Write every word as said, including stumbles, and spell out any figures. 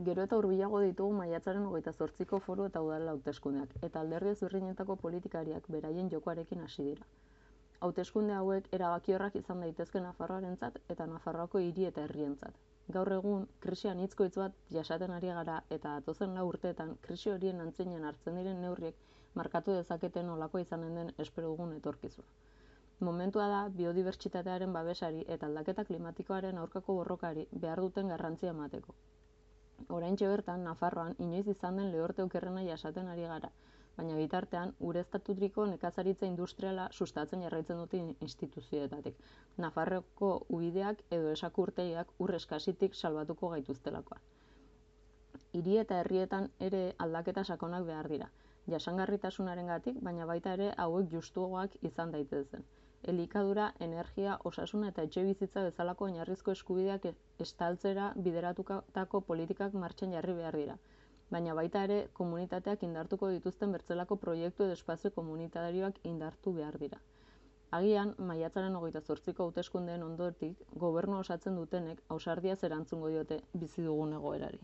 Gero eta hurbilago ditugu maiatzaren hogeita zortziko foru eta udal hauteskundeak, eta alderdi ezberdinetako politikariak beraien jokoarekin hasi dira. Hauteskunde hauek erabakiorrak izan daitezke Nafarroarentzat eta Nafarroako hiri eta herrientzat. Gaur egun, krisian hitzkoitz bat jasaten ari gara eta datozen lau urteetan krisi horien antzinen hartzen diren neurriek markatu dezaketen nolakoa izanen den espero dugun etorkizuna. Momentua da biodibertsitatearen babesari eta aldaketa klimatikoaren aurkako borrokari behar duten garrantzia emateko. Oraintxe bertan, Nafarroan inoiz izan den lehorte okerrena jasaten ari gara, baina bitartean ureztatutriko nekazaritza industriala sustatzen jarraitzen dute instituzioetatik, Nafarroko ubideak edo esakurtegiak ur eskasitik salbatuko gaituztelakoa. Hiri eta herrietan ere aldaketa sakonak behar dira, jasangarritasunarengatik, baina baita ere hauek justuagoak izan daitezen. Elikadura, energia, osasuna eta etxebizitza bezalako oinarrizko eskubideak estaltzera bideratutako politikak martxan jarri behar dira, baina baita ere komunitateak indartuko dituzten bertzelako proiektu edo espazio komunitarioak indartu behar dira. Agian, maiatzaren hogeita zortziko hauteskundeen ondotik, gobernua osatzen dutenek ausardiaz erantzungo diote bizi dugun egoerari.